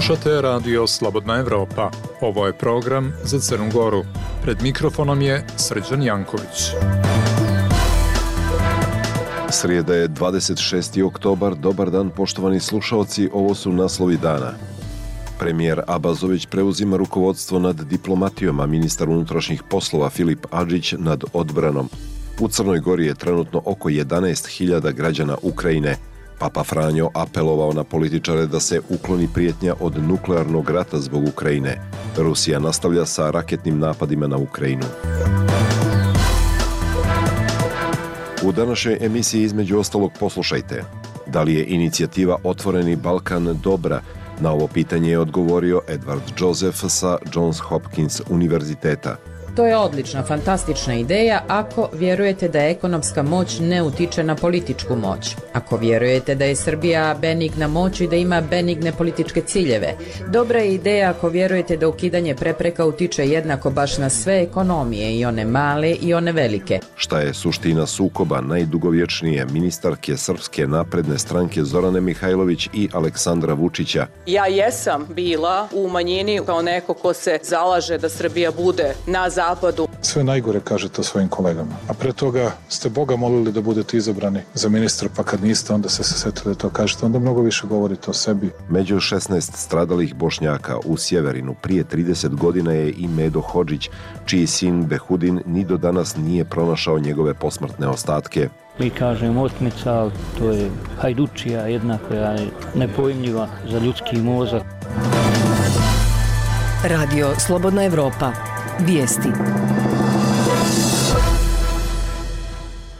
Slušate Radio Slobodna Evropa. Ovo je program za Crnu Goru. Pred mikrofonom je Srđan Janković. Srijeda je 26. oktobar. Dobar dan, poštovani slušalci. Ovo su naslovi dana. Premijer Abazović preuzima rukovodstvo nad diplomatijom, a ministar unutrašnjih poslova Filip Adžić nad odbranom. U Crnoj Gori je trenutno oko 11.000 građana Ukrajine. Papa Franjo apelovao na političare da se ukloni prijetnja od nuklearnog rata zbog Ukrajine. Rusija nastavlja sa raketnim napadima na Ukrajinu. U današnjoj emisiji između ostalog poslušajte. Da li je inicijativa Otvoreni Balkan dobra? Na ovo pitanje je odgovorio Edward Joseph sa Johns Hopkins univerziteta. To je odlična, fantastična ideja ako vjerujete da ekonomska moć ne utiče na političku moć. Ako vjerujete da je Srbija benigna moć i da ima benigne političke ciljeve. Dobra je ideja ako vjerujete da ukidanje prepreka utiče jednako baš na sve ekonomije, i one male i one velike. Šta je suština sukoba najdugovječnije ministarke Srpske napredne stranke Zorane Mihajlović i Aleksandra Vučića? Ja jesam bila u manjini kao neko ko se zalaže da Srbija bude na zapadu. Sve najgore kažete o svojim kolegama. A pre toga ste Boga molili da budete izabrani za ministra, pa kad niste, onda ste se setili da to kažete. Onda mnogo više govorite o sebi. Među 16 stradalih Bošnjaka u Sjeverinu prije 30 godina je i Medo Hodžić, čiji sin Behudin ni do danas nije pronašao njegove posmrtne ostatke. Mi kažemo otmica, ali to je hajdučija jedna koja je nepojmljiva za ljudski mozak. Radio Slobodna Evropa. Vijesti.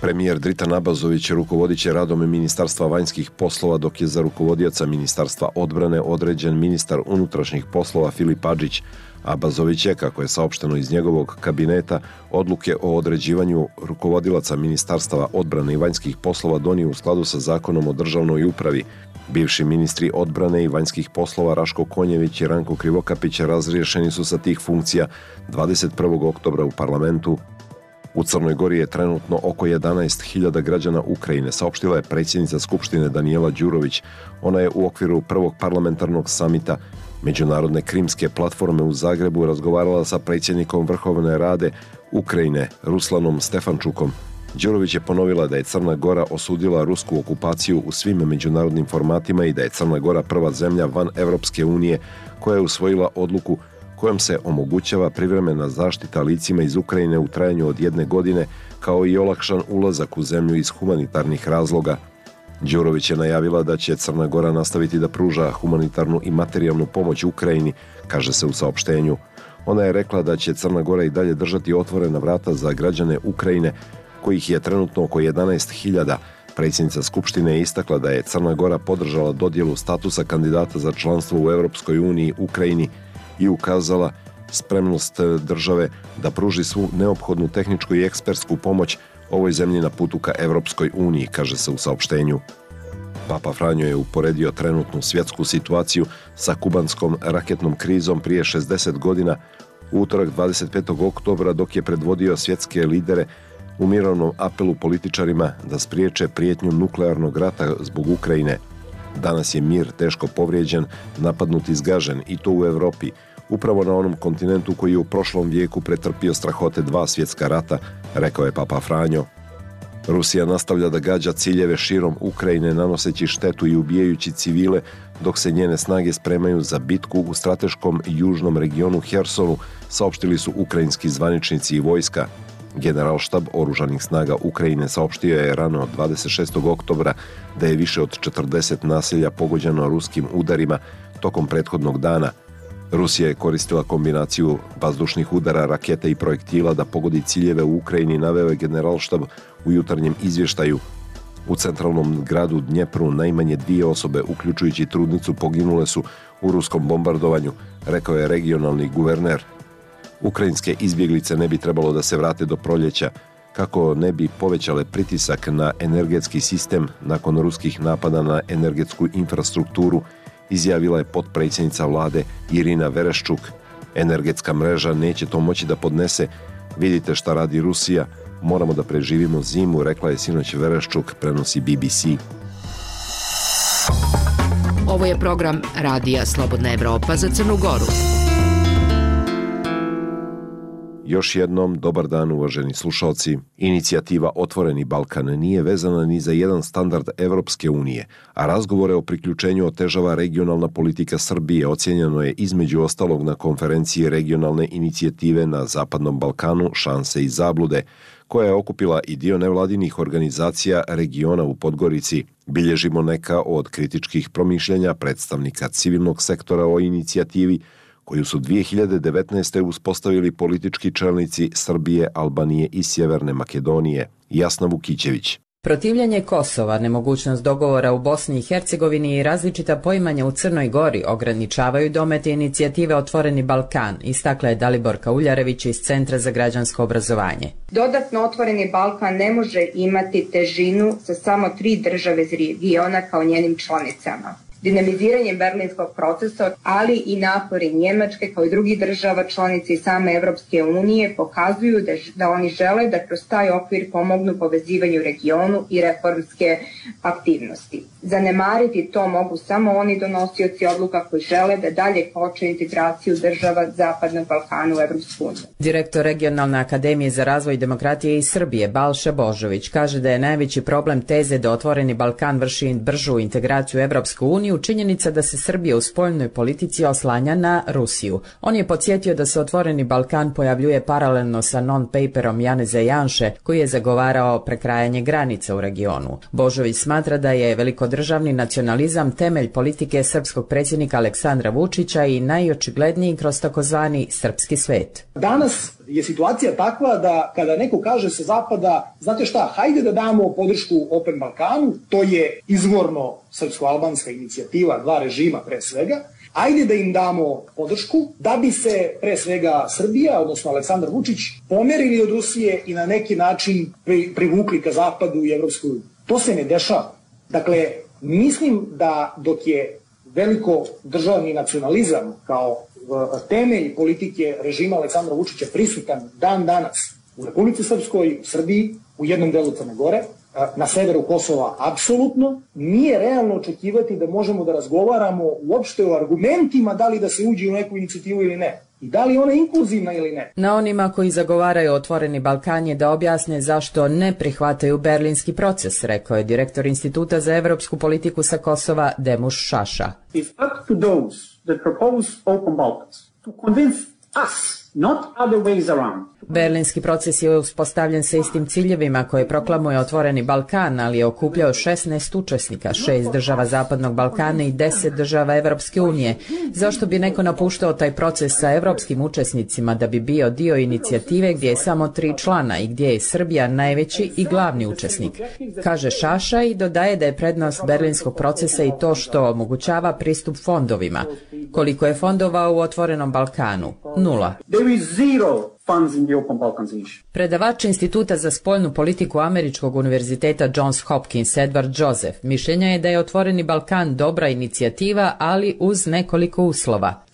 Premijer Dritan Abazović rukovodit će radom Ministarstva vanjskih poslova, dok je za rukovodioca Ministarstva odbrane određen ministar unutrašnjih poslova Filip Adžić. Abazović je, kako je saopšteno iz njegovog kabineta, odluke o određivanju rukovodilaca Ministarstava odbrane i vanjskih poslova donio u skladu sa Zakonom o državnoj upravi. Bivši ministri odbrane i vanjskih poslova Raško Konjević i Ranko Krivokapić razriješeni su sa tih funkcija 21. oktobra u parlamentu. U Crnoj Gori je trenutno oko 11.000 građana Ukrajine, saopštila je predsjednica Skupštine Danijela Đurović. Ona je u okviru prvog parlamentarnog samita Međunarodne krimske platforme u Zagrebu razgovarala sa predsjednikom Vrhovne Rade Ukrajine Ruslanom Stefančukom. Đurović je ponovila da je Crna Gora osudila rusku okupaciju u svim međunarodnim formatima i da je Crna Gora prva zemlja van Evropske unije koja je usvojila odluku kojom se omogućava privremena zaštita licima iz Ukrajine u trajanju od 1 godine, kao i olakšan ulazak u zemlju iz humanitarnih razloga. Đurović je najavila da će Crna Gora nastaviti da pruža humanitarnu i materijalnu pomoć Ukrajini, kaže se u saopštenju. Ona je rekla da će Crna Gora i dalje držati otvorena vrata za građane Ukrajine, kojih je trenutno oko 11.000. Predsjednica Skupštine je istakla da je Crna Gora podržala dodjelu statusa kandidata za članstvo u Europskoj uniji Ukrajini i ukazala spremnost države da pruži svu neophodnu tehničku i ekspertsku pomoć ovoj zemlji na putu ka Europskoj uniji, kaže se u saopštenju. Papa Franjo je uporedio trenutnu svjetsku situaciju sa kubanskom raketnom krizom prije 60 godina u utorak 25. oktobra, dok je predvodio svjetske lidere u mirovnom apelu političarima da spriječe prijetnju nuklearnog rata zbog Ukrajine. Danas je mir teško povrijeđen, napadnut i zgažen, i to u Europi, upravo na onom kontinentu koji je u prošlom vijeku pretrpio strahote 2 svjetska rata, rekao je Papa Franjo. Rusija nastavlja da gađa ciljeve širom Ukrajine, nanoseći štetu i ubijajući civile, dok se njene snage spremaju za bitku u strateškom južnom regionu Hersonu, saopštili su ukrajinski zvaničnici i vojska. Generalštab oružanih snaga Ukrajine saopštio je rano 26. oktobra da je više od 40 naselja pogođeno ruskim udarima tokom prethodnog dana. Rusija je koristila kombinaciju vazdušnih udara, raketa i projektila da pogodi ciljeve u Ukrajini, naveo je Generalštab u jutarnjem izvještaju. U centralnom gradu Dnjepru najmanje 2 osobe, uključujući trudnicu, poginule su u ruskom bombardovanju, rekao je regionalni guverner. Ukrajinske izbjeglice ne bi trebalo da se vrate do proljeća, kako ne bi povećale pritisak na energetski sistem nakon ruskih napada na energetsku infrastrukturu, izjavila je potpredsjednica vlade Irina Vereščuk. Energetska mreža neće to moći da podnese. Vidite šta radi Rusija, moramo da preživimo zimu, rekla je sinoć Vereščuk, prenosi BBC. Ovo je program Radija Slobodna Evropa za Crnu Goru. Još jednom, dobar dan uvaženi slušalci. Inicijativa Otvoreni Balkan nije vezana ni za jedan standard Evropske unije, a razgovore o priključenju otežava regionalna politika Srbije, ocijenjeno je između ostalog na konferenciji regionalne inicijative na Zapadnom Balkanu Šanse i zablude, koja je okupila i dio nevladinih organizacija regiona u Podgorici. Bilježimo neka od kritičkih promišljenja predstavnika civilnog sektora o inicijativi, koju su 2019. uspostavili politički čelnici Srbije, Albanije i Sjeverne Makedonije. Jasna Vukićević. Protivljenje Kosova, nemogućnost dogovora u Bosni i Hercegovini i različita poimanja u Crnoj Gori ograničavaju domete inicijative Otvoreni Balkan, istakla je Daliborka Uljarević iz Centra za građansko obrazovanje. Dodatno Otvoreni Balkan ne može imati težinu sa samo 3 države iz regiona kao njenim članicama. Dinamiziranjem berlinskog procesa, ali i napori Njemačke kao i drugih država članica i same Evropske unije pokazuju da oni žele da kroz taj okvir pomognu povezivanju regionu i reformske aktivnosti. Zanemariti to mogu samo oni donosioci odluka koji žele da dalje koče integraciju država Zapadnog Balkana u Evropsku uniju. Direktor Regionalne akademije za razvoj demokratije iz Srbije, Balša Božović, kaže da je najveći problem teze da Otvoreni Balkan vrši bržu integraciju u Evropsku uniju činjenica da se Srbija u spoljnoj politici oslanja na Rusiju. On je podsjetio da se Otvoreni Balkan pojavljuje paralelno sa non-paperom Janeza Janše, koji je zagovarao prekrajanje granica u regionu. Božović smatra da je velikodržavni nacionalizam temelj politike srpskog predsjednika Aleksandra Vučića i najočigledniji kroz takozvani srpski svet. Danas je situacija takva da kada neko kaže sa zapada, znate šta, hajde da damo podršku Open Balkanu, to je izvorno srpsko-albanska inicijativa, 2 režima pre svega, ajde da im damo podršku da bi se pre svega Srbija, odnosno Aleksandar Vučić, pomerili od Rusije i na neki način privukli ka zapadu i Evropsku uniju. To se ne dešava. Dakle, mislim da dok je veliko državni nacionalizam kao temelj politike režima Aleksandra Vučića prisutan dan danas u Republici Srpskoj, u Srbiji, u jednom delu Crne Gore, na severu Kosova apsolutno, nije realno očekivati da možemo da razgovaramo uopšte o argumentima da li da se uđe u neku inicijativu ili ne. I da li ona je inkluzivna ili ne. Na onima koji zagovaraju Otvoreni Balkan je da objasne zašto ne prihvataju berlinski proces, rekao je direktor Instituta za evropsku politiku sa Kosova Demuš Šaša. It's up to those that propose Open Balkans to convince us, not other ways around. Berlinski proces je uspostavljen sa istim ciljevima koje proklamuje Otvoreni Balkan, ali je okupljao 16 učesnika, 6 država Zapadnog Balkana i 10 država Evropske unije. Zašto bi neko napuštao taj proces sa evropskim učesnicima da bi bio dio inicijative gdje je samo 3 člana i gdje je Srbija najveći i glavni učesnik? Kaže Šaša i dodaje da je prednost berlinskog procesa i to što omogućava pristup fondovima. Koliko je fondova u Otvorenom Balkanu? 0. There is zero funds in the Open Balkans initiative. Predavač Instituta za spoljnu politiku Američkog univerziteta Johns Hopkins Edward Joseph mišljenja je da je Otvoreni Balkan dobra inicijativa, ali uz nekoliko uslova.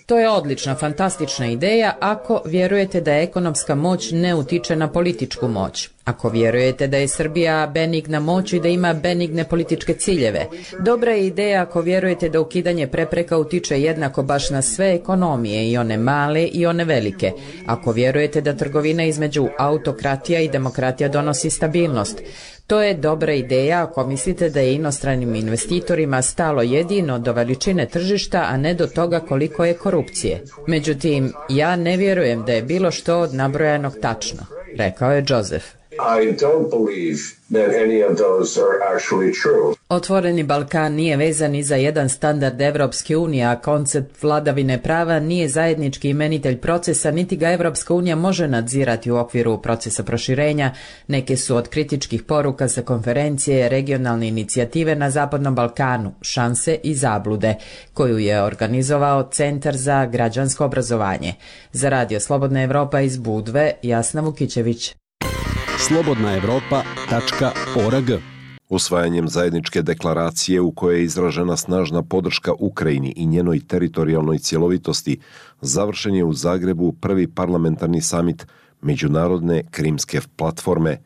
To je odlična, fantastična ideja ako vjerujete da ekonomska moć ne utiče na političku moć. Ako vjerujete da je Srbija benigna moć i da ima benigne političke ciljeve. Dobra je ideja ako vjerujete da ukidanje prepreka utiče jednako baš na sve ekonomije, i one male i one velike. Ako vjerujete da trgovina između autokratija i demokratija donosi stabilnost. To je dobra ideja ako mislite da je inostranim investitorima stalo jedino do veličine tržišta, a ne do toga koliko je korupcije. Međutim, ja ne vjerujem da je bilo što od nabrojanog tačno, rekao je Joseph. I don't believe that any of those are actually true. Otvoreni Balkan nije vezan ni za jedan standard Evropske unije, a koncept vladavine prava nije zajednički imenitelj procesa, niti ga Evropska unija može nadzirati u okviru procesa proširenja. Neke su od kritičkih poruka sa konferencije regionalne inicijative na Zapadnom Balkanu, Šanse i zablude, koju je organizovao Centar za građansko obrazovanje. Za Radio Slobodna Evropa iz Budve, Jasna Vukićević. slobodnaevropa.org. Usvajanjem zajedničke deklaracije u kojoj je izražena snažna podrška Ukrajini i njenoj teritorijalnoj cjelovitosti, završen je u Zagrebu prvi parlamentarni samit Međunarodne krimske platforme,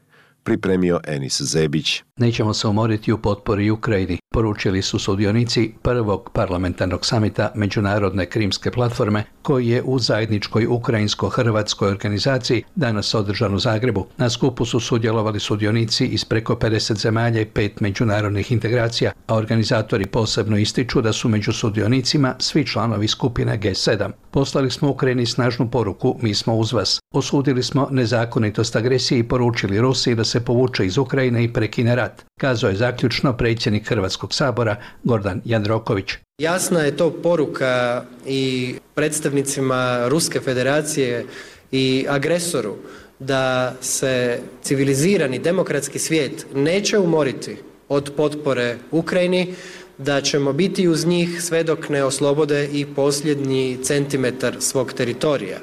pripremio Enis Zebić. Nećemo se umoriti u potpori Ukrajini, poručili su sudionici prvog parlamentarnog samita Međunarodne krimske platforme koji je u zajedničkoj ukrajinsko-hrvatskoj organizaciji danas održan u Zagrebu. Na skupu su sudjelovali sudionici iz preko 50 zemalja i 5 međunarodnih integracija, a organizatori posebno ističu da su među sudionicima svi članovi skupine G7. Poslali smo Ukrajini snažnu poruku, mi smo uz vas. Osudili smo nezakonitost agresije i poručili Rusiji da se povuče iz Ukrajine i prekine rat, kazao je zaključno predsjednik Hrvatskog sabora Gordan Jandroković. Jasna je to poruka i predstavnicima Ruske federacije i agresoru da se civilizirani demokratski svijet neće umoriti od potpore Ukrajini, da ćemo biti uz njih sve dok ne oslobode i posljednji centimetar svog teritorija.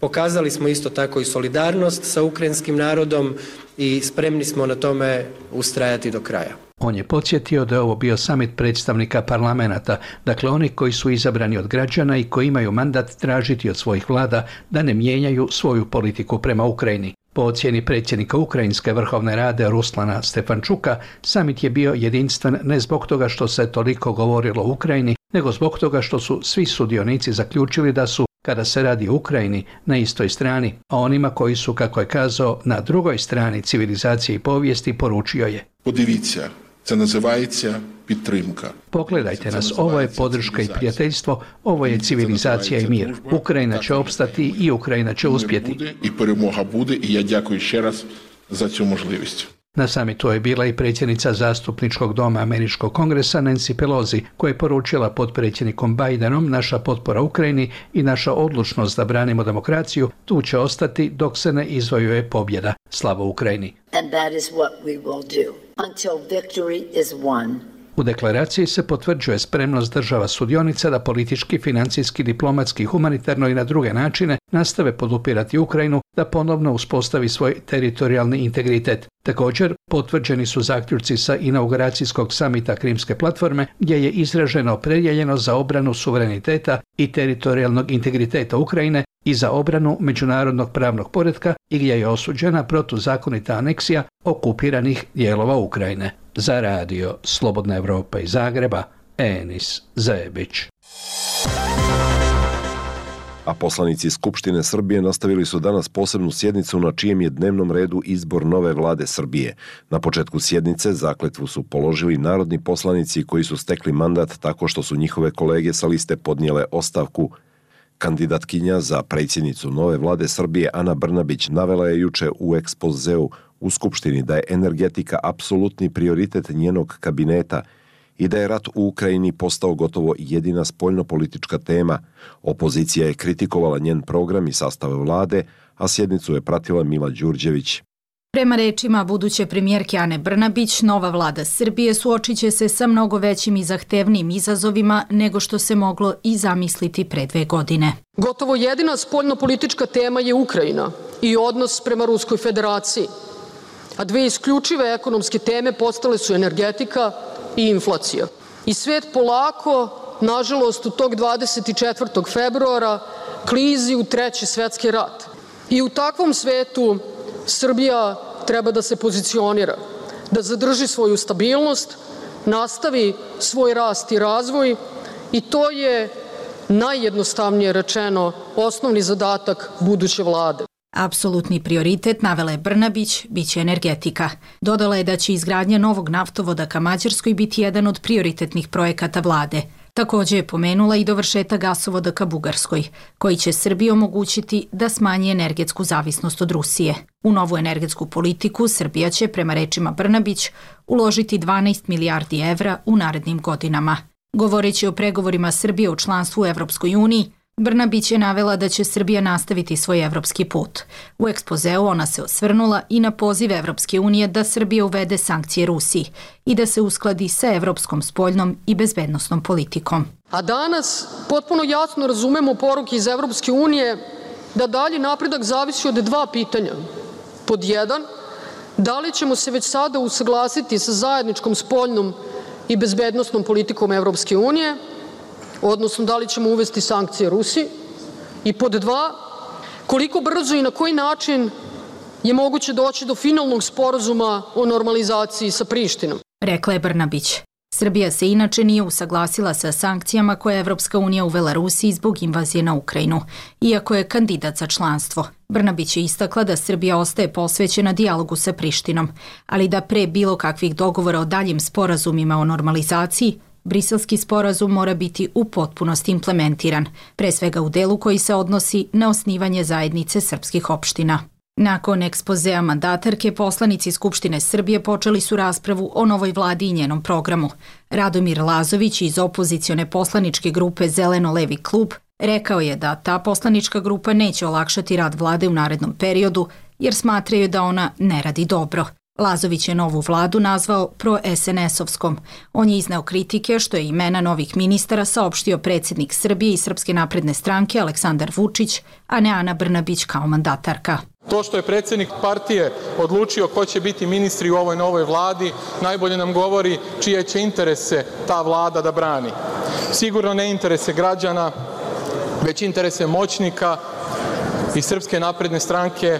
Pokazali smo isto tako i solidarnost sa ukrajinskim narodom i spremni smo na tome ustrajati do kraja. On je podsjetio da je ovo bio samit predstavnika parlamenata, dakle oni koji su izabrani od građana i koji imaju mandat tražiti od svojih vlada da ne mijenjaju svoju politiku prema Ukrajini. Po ocjeni predsjednika Ukrajinske vrhovne rade Ruslana Stefančuka, samit je bio jedinstven ne zbog toga što se toliko govorilo o Ukrajini, nego zbog toga što su svi sudionici zaključili da su, kada se radi o Ukrajini, na istoj strani, a onima koji su, kako je kazao, na drugoj strani civilizacije i povijesti, poručio je: Podivіться, це називається підтримка. Pogledajte nas, ovo je podrška i prijateljstvo, ovo je civilizacija i mir. Ukrajina će opstati i Ukrajina će uspjeti. I перемога буде, i ja дякую ще раз za цю можливість. Na samitu je bila i predsjednica zastupničkog doma Američkog kongresa Nancy Pelosi, koja je poručila potpredsjednikom Bidenom: naša potpora Ukrajini i naša odlučnost da branimo demokraciju tu će ostati dok se ne izvojuje pobjeda. Slava Ukrajini. And that is what we will do until victory is won. U deklaraciji se potvrđuje spremnost država sudionica da politički, financijski, diplomatski, humanitarno i na druge načine nastave podupirati Ukrajinu da ponovno uspostavi svoj teritorijalni integritet. Također, potvrđeni su zaključci sa inauguracijskog samita Krimske platforme gdje je izraženo opredjeljenost za obranu suvereniteta i teritorijalnog integriteta Ukrajine i za obranu međunarodnog pravnog poretka i gdje je osuđena protuzakonita aneksija okupiranih dijelova Ukrajine. Za radio Slobodna Evropa iz Zagreba, Enis Zebić. A poslanici Skupštine Srbije nastavili su danas posebnu sjednicu na čijem je dnevnom redu izbor nove vlade Srbije. Na početku sjednice zakletvu su položili narodni poslanici koji su stekli mandat tako što su njihove kolege sa liste podnijele ostavku. Kandidatkinja za predsjednicu nove vlade Srbije Ana Brnabić navela je juče u ekspozeu u Skupštini da je energetika apsolutni prioritet njenog kabineta i da je rat u Ukrajini postao gotovo jedina spoljnopolitička tema. Opozicija je kritikovala njen program i sastav vlade, a sjednicu je pratila Mila Đurđević. Prema rečima buduće premijerke Ane Brnabić, nova vlada Srbije suočit će se sa mnogo većim i zahtevnijim izazovima nego što se moglo i zamisliti pre 2 godine. Gotovo jedina spoljnopolitička tema je Ukrajina i odnos prema Ruskoj federaciji, a 2 isključive ekonomske teme postale su energetika i inflacija. I svet polako, nažalost, u tog 24. februara klizi u 3. svetski rat. I u takvom svetu Srbija treba da se pozicionira, da zadrži svoju stabilnost, nastavi svoj rast i razvoj i to je, najjednostavnije rečeno, osnovni zadatak buduće vlade. Apsolutni prioritet, navela je Brnabić, biće energetika. Dodala je da će izgradnja novog naftovoda ka Mađarskoj biti jedan od prioritetnih projekata vlade. Također je pomenula i dovršetak gasovoda ka Bugarskoj, koji će Srbiji omogućiti da smanji energetsku zavisnost od Rusije. U novu energetsku politiku Srbija će, prema rečima Brnabić, uložiti 12 milijardi evra u narednim godinama. Govoreći o pregovorima Srbije u članstvu u Evropskoj uniji, Brnabić je navela da će Srbija nastaviti svoj evropski put. U ekspozeu ona se osvrnula i na poziv Evropske unije da Srbija uvede sankcije Rusiji i da se uskladi sa evropskom spoljnom i bezbednosnom politikom. A danas potpuno jasno razumemo poruke iz Evropske unije da dalji napredak zavisi od 2 pitanja. Pod 1, da li ćemo se već sada usaglasiti sa zajedničkom spoljnom i bezbednosnom politikom Evropske unije, odnosno da li ćemo uvesti sankcije Rusiji, i pod 2, koliko brzo i na koji način je moguće doći do finalnog sporazuma o normalizaciji sa Prištinom. Rekla je Brnabić. Srbija se inače nije usaglasila sa sankcijama koje je Evropska unija uvela Rusiji zbog invazije na Ukrajinu, iako je kandidat za članstvo. Brnabić je istakla da Srbija ostaje posvećena dijalogu sa Prištinom, ali da pre bilo kakvih dogovora o daljim sporazumima o normalizaciji, Briselski sporazum mora biti u potpunosti implementiran, pre svega u delu koji se odnosi na osnivanje zajednice srpskih opština. Nakon ekspozea mandatarke, poslanici Skupštine Srbije počeli su raspravu o novoj vladi i njenom programu. Radomir Lazović iz opozicione poslaničke grupe Zeleno-levi klub rekao je da ta poslanička grupa neće olakšati rad vlade u narednom periodu jer smatraju da ona ne radi dobro. Lazović je novu vladu nazvao pro-SNS-ovskom. On je izneo kritike što je imena novih ministara saopštio predsjednik Srbije i Srpske napredne stranke Aleksandar Vučić, a ne Ana Brnabić kao mandatarka. To što je predsjednik partije odlučio ko će biti ministri u ovoj novoj vladi, najbolje nam govori čije će interese ta vlada da brani. Sigurno ne interese građana, već interese moćnika i Srpske napredne stranke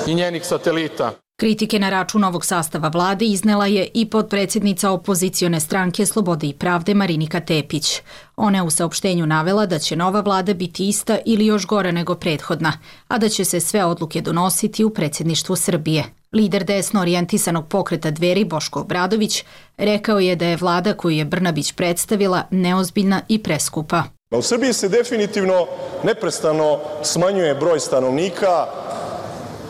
i njenih satelita. Kritike na račun ovog sastava vlade iznela je i potpredsjednica opozicione stranke Slobode i pravde Marinika Tepić. Ona je u saopštenju navela da će nova vlada biti ista ili još gora nego prethodna, a da će se sve odluke donositi u predsjedništvu Srbije. Lider desno orijentisanog pokreta Dveri Boško Obradović rekao je da je vlada koju je Brnabić predstavila neozbiljna i preskupa. U Srbiji se definitivno neprestano smanjuje broj stanovnika,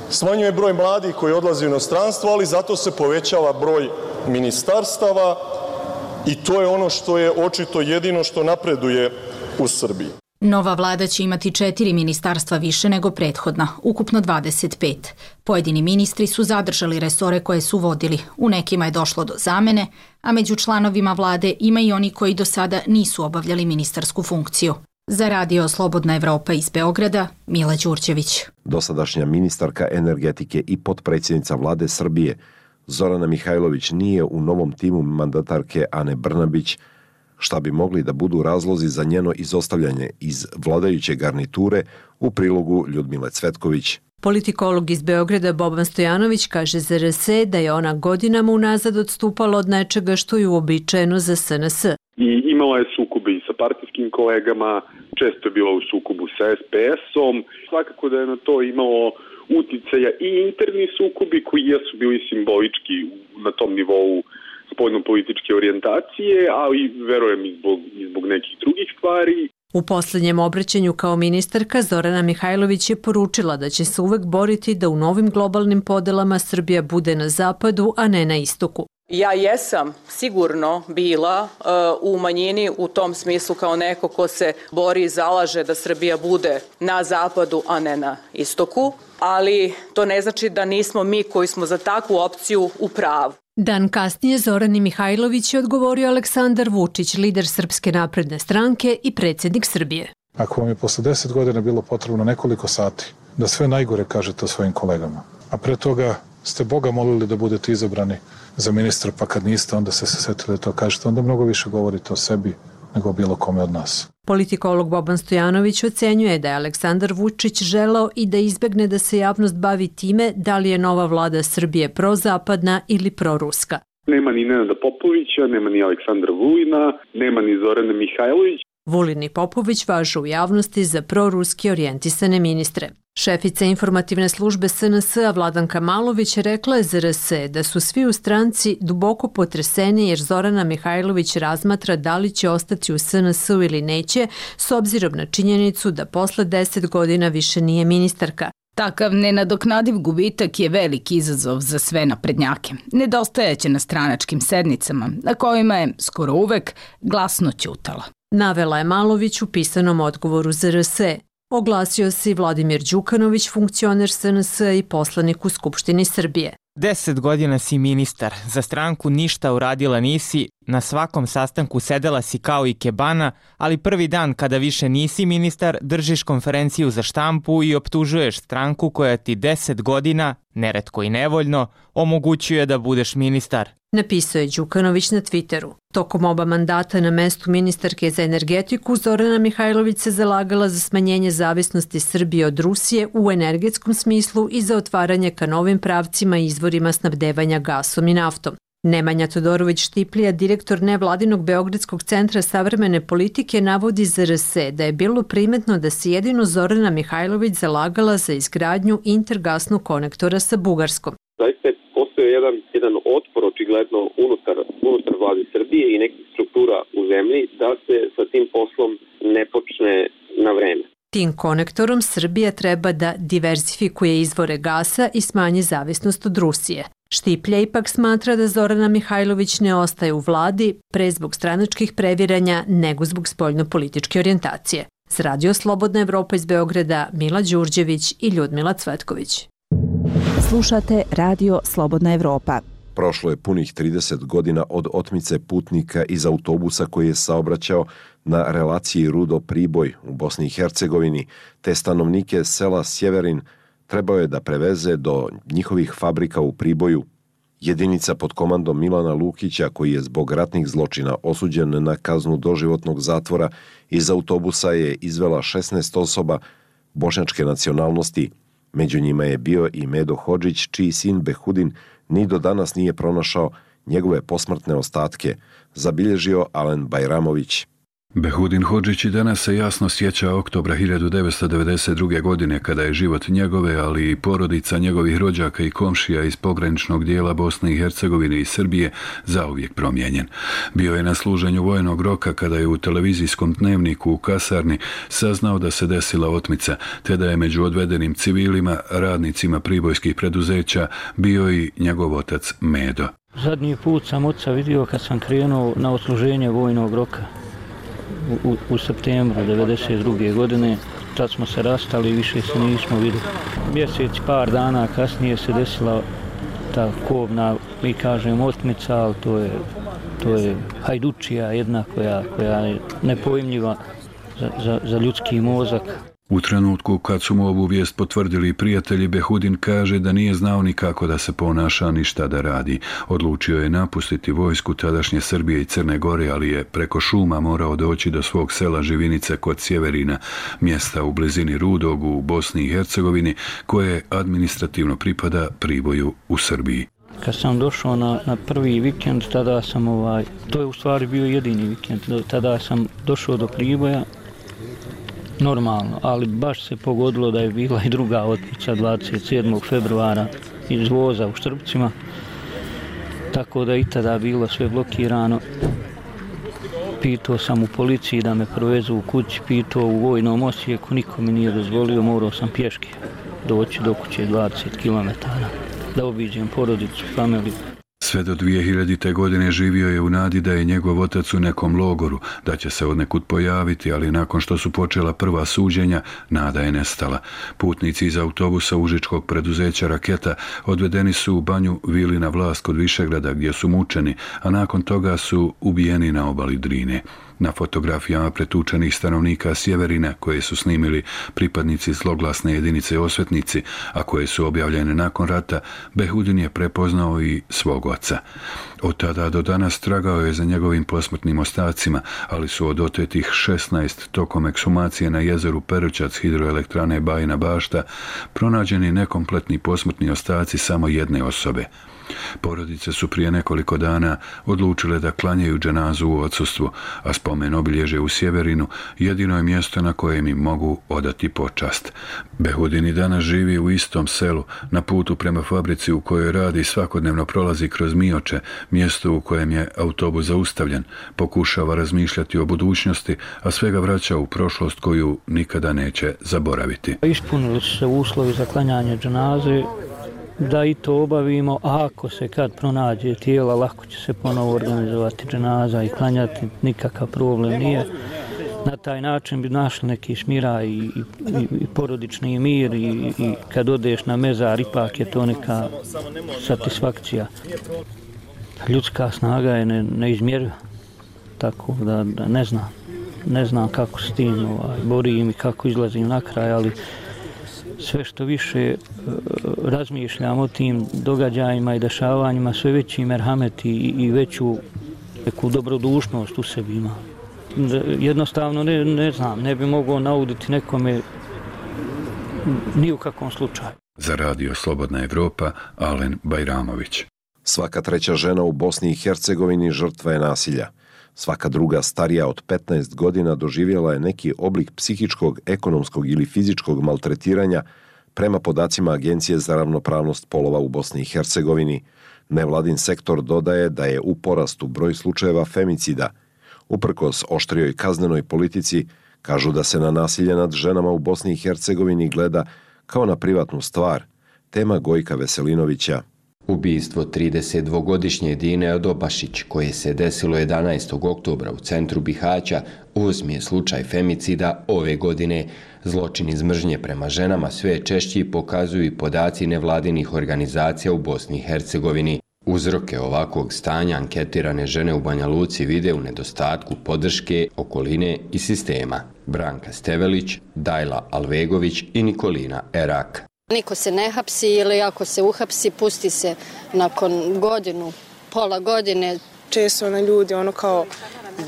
smanjuje broj mladih koji odlaze u inostranstvo, ali zato se povećava broj ministarstava i to je ono što je očito jedino što napreduje u Srbiji. Nova vlada će imati 4 ministarstva više nego prethodna, ukupno 25. Pojedini ministri su zadržali resore koje su vodili, u nekima je došlo do zamene, a među članovima vlade ima i oni koji do sada nisu obavljali ministarsku funkciju. Za radio Slobodna Evropa iz Beograda, Mila Đurđević. Dosadašnja ministarka energetike i potpredsjednica vlade Srbije Zorana Mihajlović nije u novom timu mandatarke Ane Brnabić, šta bi mogli da budu razlozi za njeno izostavljanje iz vladajuće garniture u prilogu Ljudmile Cvetković. Politikolog iz Beograda Boban Stojanović kaže za RS da je ona godinama unazad odstupala od nečega što je uobičajeno za SNS. I imala je sukobe i sa partijskim kolegama, često je bila u sukobu sa SPS-om. Svakako da je na to imalo uticaja i interni sukobi koji jesu bili simbolički na tom nivou spoljno-političke orijentacije, ali verujem i zbog nekih drugih stvari. U poslednjem obraćanju kao ministarka Zorana Mihajlović je poručila da će se uvek boriti da u novim globalnim podelama Srbija bude na zapadu, a ne na istoku. Ja jesam sigurno bila u manjini u tom smislu kao neko ko se bori i zalaže da Srbija bude na zapadu, a ne na istoku, ali to ne znači da nismo mi koji smo za takvu opciju u pravu. Dan kasnije Zorani Mihajlović je odgovorio Aleksandar Vučić, lider Srpske napredne stranke i predsjednik Srbije. Ako vam je posle 10 godina bilo potrebno nekoliko sati da sve najgore kažete o svojim kolegama, a pre toga ste Boga molili da budete izabrani za ministra, pa kad niste, onda ste se setili da to kažete, onda mnogo više govorite o sebi nego o bilo kome od nas. Politikolog Boban Stojanović ocenjuje da je Aleksandar Vučić želeo i da izbegne da se javnost bavi time da li je nova vlada Srbije prozapadna ili proruska. Nema ni Nenada Popovića, nema ni Aleksandra Vulina, nema ni Zorane Mihajlović. Vulin i Popović važu u javnosti za proruski orijentisane ministre. Šefica informativne službe SNS-a Vladanka Malović rekla je za RS da su svi u stranci duboko potreseni jer Zorana Mihajlović razmatra da li će ostati u SNS-u ili neće, s obzirom na činjenicu da posle 10 godina više nije ministarka. Takav nenadoknadiv gubitak je veliki izazov za sve naprednjake. Nedostajaće na stranačkim sednicama, na kojima je skoro uvek glasno ćutala. Navela je Malović u pisanom odgovoru za RS. Oglasio se i Vladimir Đukanović, funkcioner SNS i poslanik u Skupštini Srbije. 10 godina si ministar, za stranku ništa uradila nisi Na svakom sastanku sedela si kao i kebana, ali prvi dan kada više nisi ministar, držiš konferenciju za štampu i optužuješ stranku koja ti 10 godina, neretko i nevoljno, omogućuje da budeš ministar. Napisao je Đukanović na Twitteru. Tokom oba mandata na mestu ministarke za energetiku, Zorana Mihajlović se zalagala za smanjenje zavisnosti Srbije od Rusije u energetskom smislu i za otvaranje ka novim pravcima i izvorima snabdevanja gasom i naftom. Nemanja Todorović Štiplija, direktor nevladinog Beogradskog centra savremene politike, navodi za RS da je bilo primetno da se jedino Zorana Mihajlović zalagala za izgradnju intergasnog konektora sa Bugarskom. Zaista je postoje jedan otpor očigledno unutar vlade Srbije i nekih struktura u zemlji da se sa tim poslom ne počne na vreme. Tim konektorom Srbija treba da diversifikuje izvore gasa i smanji zavisnost od Rusije. Štiplja ipak smatra da Zorana Mihajlović ne ostaje u vladi pre zbog stranačkih previranja nego zbog spoljnopolitičke orijentacije. Za Radio Slobodna Evropa iz Beograda, Mila Đurđević i Ljudmila Cvetković. Slušate Radio Slobodna Evropa. Prošlo je punih 30 godina od otmice putnika iz autobusa koji je saobraćao na relaciji Rudo-Priboj u Bosni i Hercegovini, te stanovnike sela Sjeverin trebao je da preveze do njihovih fabrika u Priboju. Jedinica pod komandom Milana Lukića, koji je zbog ratnih zločina osuđen na kaznu doživotnog zatvora, iz autobusa je izvela 16 osoba bošnjačke nacionalnosti. Među njima je bio i Medo Hodžić, čiji sin Behudin ni do danas nije pronašao njegove posmrtne ostatke, zabilježio Alen Bajramović. Behudin Hodžić i danas se jasno sjeća oktobra 1992. godine kada je život njegove, ali i porodica njegovih rođaka i komšija iz pograničnog dijela Bosne i Hercegovine i Srbije zauvijek promijenjen. Bio je na služenju vojnog roka kada je u televizijskom dnevniku u kasarni saznao da se desila otmica, te da je među odvedenim civilima, radnicima pribojskih preduzeća, bio i njegov otac Medo. Zadnji put sam oca vidio kad sam krenuo na odsluženje vojnog roka. U septembru 1992. godine, tad smo se rastali i više se nismo vidjeli. Mjesec, par dana kasnije se desila ta kobna, mi kažem, otmica, ali to je hajdučija jedna koja je nepojmljiva za ljudski mozak. U trenutku kad su mu ovu vijest potvrdili prijatelji, Behudin kaže da nije znao ni kako da se ponaša ni šta da radi. Odlučio je napustiti vojsku tadašnje Srbije i Crne Gore, ali je preko šuma morao doći do svog sela Živinice kod Sjeverina, mjesta u blizini Rudog u Bosni i Hercegovini, koje administrativno pripada Priboju u Srbiji. Kad sam došao na prvi vikend, tada sam, to je u stvari bio jedini vikend, tada sam došao do Priboja, normalno, ali baš se pogodilo da je bila i druga otmica 27. februara iz voza u Štrbcima, tako da i tada bilo sve blokirano. Pitao sam u policiji da me provezu u kući, pitao u vojnom Osijeku, niko mi nije dozvolio, morao sam pješke doći do kuće 20 km da obiđem porodicu, familiju. Sve do 2000. godine živio je u nadi da je njegov otac u nekom logoru, da će se odnekud pojaviti, ali nakon što su počela prva suđenja, nada je nestala. Putnici iz autobusa užičkog preduzeća Raketa odvedeni su u banju Vilina Vlast kod Višegrada gdje su mučeni, a nakon toga su ubijeni na obali Drine. Na fotografijama pretučenih stanovnika Sjeverina, koje su snimili pripadnici zloglasne jedinice Osvetnici, a koje su objavljene nakon rata, Behudin je prepoznao i svog oca. Od tada do danas tragao je za njegovim posmrtnim ostacima, ali su od otetih 16 tokom ekshumacije na jezeru Perućac hidroelektrane Bajina Bašta pronađeni nekompletni posmrtni ostaci samo jedne osobe. Porodice su prije nekoliko dana odlučile da klanjaju dženazu u odsustvu, a spomen obilježje u Sjeverinu jedino je mjesto na kojem im mogu odati počast. Behudin i danas živi u istom selu, na putu prema fabrici u kojoj radi svakodnevno prolazi kroz Mioče, mjesto u kojem je autobus zaustavljen, pokušava razmišljati o budućnosti, a svega vraća u prošlost koju nikada neće zaboraviti. Ispunili su se uslovi za klanjanje dženaze, da i to obavimo, a ako se kad pronađe tijela, lako će se ponovo organizovati dženaza i klanjati, nikakav problem nije. Na taj način bi našli neki smiraj i porodični mir i kad odeš na mezar, ipak je to neka satisfakcija. Ljudska snaga je neizmjerljiva, tako da ne znam kako s tim borim i kako izlazim na kraj, ali sve što više razmišljam o tim događajima i dešavanjima, sve veći merhamet i veću neku dobrodušnost u sebi ima. Jednostavno ne znam, ne bi mogao nauditi nekome ni u kakvom slučaju. Za Radio Slobodna Evropa, Alen Bajramović. Svaka treća žena u Bosni i Hercegovini žrtva je nasilja. Svaka druga starija od 15 godina doživjela je neki oblik psihičkog, ekonomskog ili fizičkog maltretiranja prema podacima Agencije za ravnopravnost polova u Bosni i Hercegovini. Nevladin sektor dodaje da je u porastu broj slučajeva femicida. Uprkos oštrijoj kaznenoj politici, kažu da se na nasilje nad ženama u Bosni i Hercegovini gleda kao na privatnu stvar. Tema Gojka Veselinovića. Ubijstvo 32-godišnje Dine Odobašić, koje se desilo 11. oktobra u centru Bihaća, 8. je slučaj femicida ove godine. Zločin iz mržnje prema ženama sve češći pokazuju i podaci nevladinih organizacija u Bosni i Hercegovini. Uzroke ovakvog stanja anketirane žene u Banja Luci vide u nedostatku podrške, okoline i sistema. Branka Stevelić, Dajla Alvegović i Nikolina Erak. Niko se ne hapsi ili ako se uhapsi, pusti se nakon godinu, pola godine. Često ljudi kao,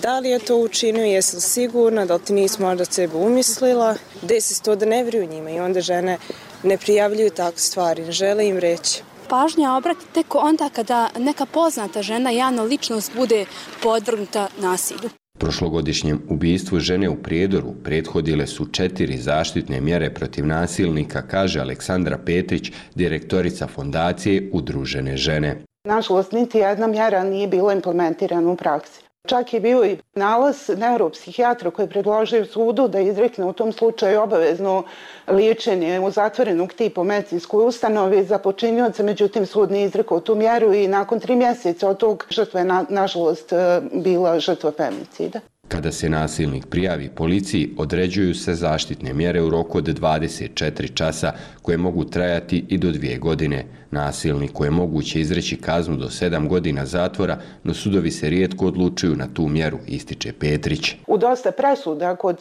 da li je to učinio, jesi li sigurna, da li ti nisi možda sebe umislila, desi se to da ne vjeruju njima i onda žene ne prijavljuju takve stvari, ne žele im reći. Pažnja obrati tek onda kada neka poznata žena, javna ličnost, bude podvrgnuta nasilju. Prošlogodišnjem ubijstvu žene u Prijedoru prethodile su 4 zaštitne mjere protiv nasilnika, kaže Aleksandra Petrić, direktorica fondacije Udružene žene. Nažalost, niti jedna mjera nije bila implementirana u praksi. Čak je bio i nalaz neuropsihijatra koji je predložio sudu da izrekne u tom slučaju obavezno liječenje u zatvorenog tipa u medicinskoj ustanovi za počinioca, međutim sud nije izrekao tu mjeru i nakon 3 mjeseca od tog žrtva je nažalost bila žrtva femicida. Kada se nasilnik prijavi policiji, određuju se zaštitne mjere u roku od 24 časa koje mogu trajati i do 2 godine. Nasilniku je moguće izreći kaznu do 7 godina zatvora, no sudovi se rijetko odlučuju na tu mjeru, ističe Petrić. U dosta presuda kod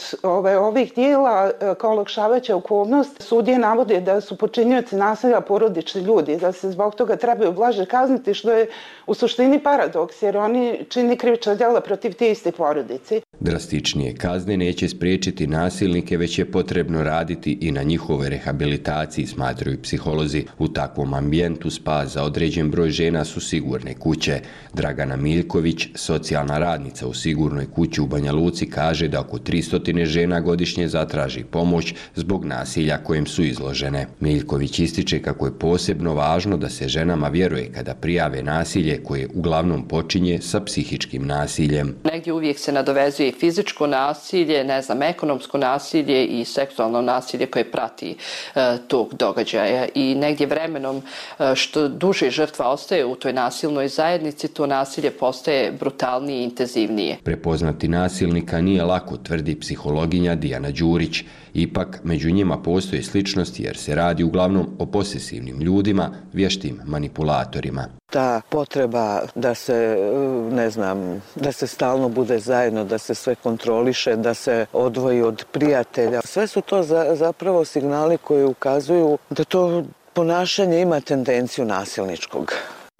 ovih dijela kao olakšavajuća okolnost sudije navode da su počinioci nasilja porodični ljudi, da se zbog toga trebaju blaže kazniti, što je u suštini paradoks jer oni čini krivična djela protiv te iste porodice. Drastičnije kazne neće spriječiti nasilnike, već je potrebno raditi i na njihovoj rehabilitaciji, smatraju psiholozi. U takvom ambijentu spas za određen broj žena su sigurne kuće. Dragana Miljković, socijalna radnica u sigurnoj kući u Banja Luci, kaže da oko 300 žena godišnje zatraži pomoć zbog nasilja kojem su izložene. Miljković ističe kako je posebno važno da se ženama vjeruje kada prijave nasilje koje uglavnom počinje sa psihičkim nasiljem. Negdje uvijek se nadovezuje fizičko nasilje, ekonomsko nasilje i seksualno nasilje koje prati tog događaja. I negdje vremenom što duže žrtva ostaje u toj nasilnoj zajednici, to nasilje postaje brutalnije i intenzivnije. Prepoznati nasilnika nije lako, tvrdi psihologinja Dijana Đurić. Ipak, među njima postoje sličnosti jer se radi uglavnom o posesivnim ljudima, vještim manipulatorima. Ta potreba da se, da se stalno bude zajedno, da se sve kontroliše, da se odvoji od prijatelja. Sve su to zapravo signali koji ukazuju da to ponašanje ima tendenciju nasilničkog.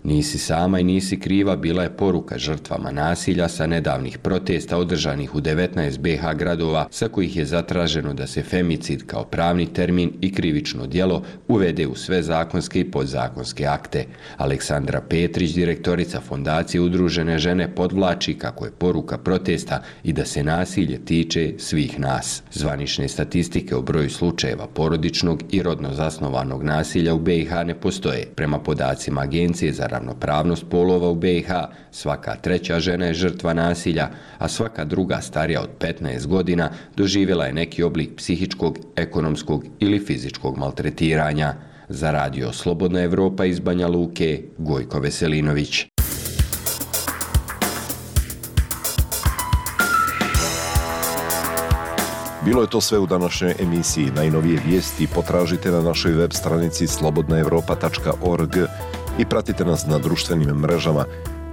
Nisi sama i nisi kriva bila je poruka žrtvama nasilja sa nedavnih protesta održanih u 19 BiH gradova, sa kojih je zatraženo da se femicid kao pravni termin i krivično djelo uvede u sve zakonske i podzakonske akte. Aleksandra Petrić, direktorica fondacije Udružene žene, podvlači kako je poruka protesta i da se nasilje tiče svih nas. Zvanične statistike o broju slučajeva porodičnog i rodno zasnovanog nasilja u BiH ne postoje. Prema podacima Agencije za ravnopravnost polova u BiH, svaka treća žena je žrtva nasilja, a svaka druga starija od 15 godina doživjela je neki oblik psihičkog, ekonomskog ili fizičkog maltretiranja. Za Radio Slobodna Evropa iz Banja Luke, Gojko Veselinović. Bilo je to sve u današnjoj emisiji. Najnovije vijesti potražite na našoj web stranici slobodnaevropa.org i pratite nas na društvenim mrežama.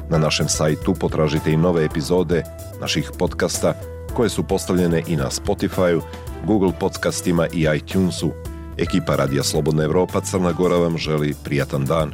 Na našem sajtu potražite i nove epizode naših podcasta koje su postavljene i na Spotify-u, Google podcastima i iTunesu. Ekipa Radija Slobodna Evropa Crna Gora vam želi prijatan dan.